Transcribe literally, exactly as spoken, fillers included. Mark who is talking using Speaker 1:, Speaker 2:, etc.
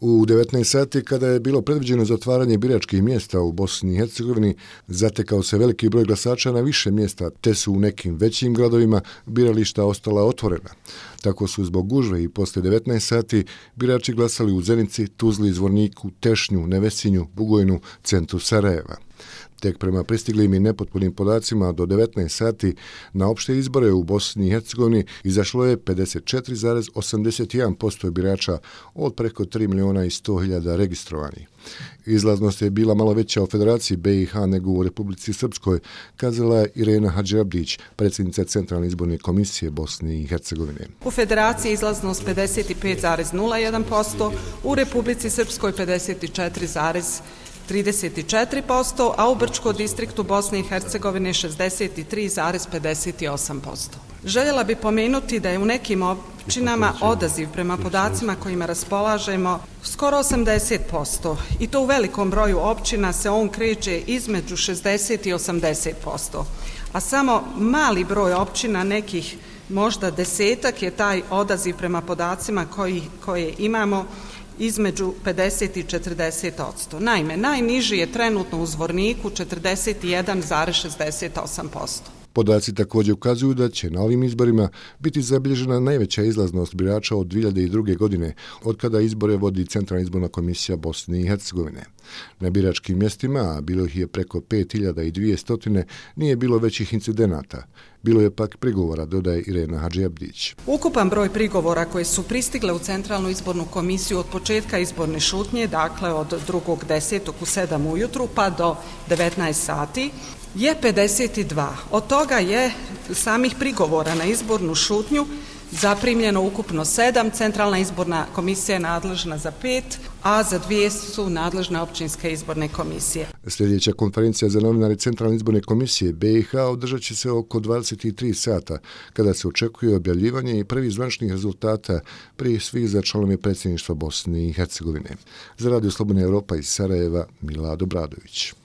Speaker 1: U devetnaest sati, kada je bilo predviđeno zatvaranje biračkih mjesta u Bosni i Hercegovini, zatekao se veliki broj glasača na više mjesta, te su u nekim većim gradovima birališta ostala otvorena. Tako su zbog gužve i posle devetnaest sati birači glasali u Zenici, Tuzli, Zvorniku, Tešnju, Nevesinju, Bugojnu, centru Sarajeva. Tek prema pristiglim i nepotpunim podacima do devetnaest sati na opšte izbore u Bosni i Hercegovini izašlo je pedeset četiri zarez osamdeset jedan posto birača od preko tri miliona i sto hiljada registrovanih. Izlaznost je bila malo veća u Federaciji B i H nego u Republici Srpskoj, kazala je Irena Hadžiabdić, predsjednica Centralne izborne komisije Bosne i Hercegovine.
Speaker 2: U Federaciji izlaznost pedeset pet zarez nula jedan posto, u Republici Srpskoj pedeset četiri zarez trideset četiri posto, a u Brčkom distriktu Bosne i Hercegovine šezdeset tri zarez pedeset osam posto. Željela bi pomenuti da je u nekim općinama odaziv prema podacima kojima raspolažemo skoro osamdeset posto i to u velikom broju općina se on kreće između šezdeset i osamdeset posto, a samo mali broj općina, nekih možda desetak, je taj odaziv prema podacima koji, koje imamo između pedeset i četrdeset posto. Naime, najniži je trenutno u Zvorniku četrdeset jedan zarez šezdeset osam posto.
Speaker 1: Podaci također ukazuju da će na ovim izborima biti zabilježena najveća izlaznost birača od dvije hiljade druge. godine, od kada izbore vodi Centralna izborna komisija Bosne i Hercegovine. Na biračkim mjestima, a bilo ih je preko pet hiljada dvjesto, nije bilo većih incidenata. Bilo je pak prigovora, dodaje Irena Hadžiabdić.
Speaker 2: Ukupan broj prigovora koji su pristigle u Centralnu izbornu komisiju od početka izborne šutnje, dakle od drugog desetog u sedam ujutru pa do devetnaest sati, je pedeset dva. Od toga je samih prigovora na izbornu šutnju zaprimljeno ukupno sedam, Centralna izborna komisija je nadležna za pet, a za dvije su nadležne općinske izborne komisije.
Speaker 1: Sljedeća konferencija za novinare Centralne izborne komisije B i H održat će se oko dvadeset tri sata, kada se očekuje objavljivanje i prvih zvaničnih rezultata prije svih za članove predsjedništva Bosne i Hercegovine. Za Radio Slobodna Europa iz Sarajeva, Milad Obradović.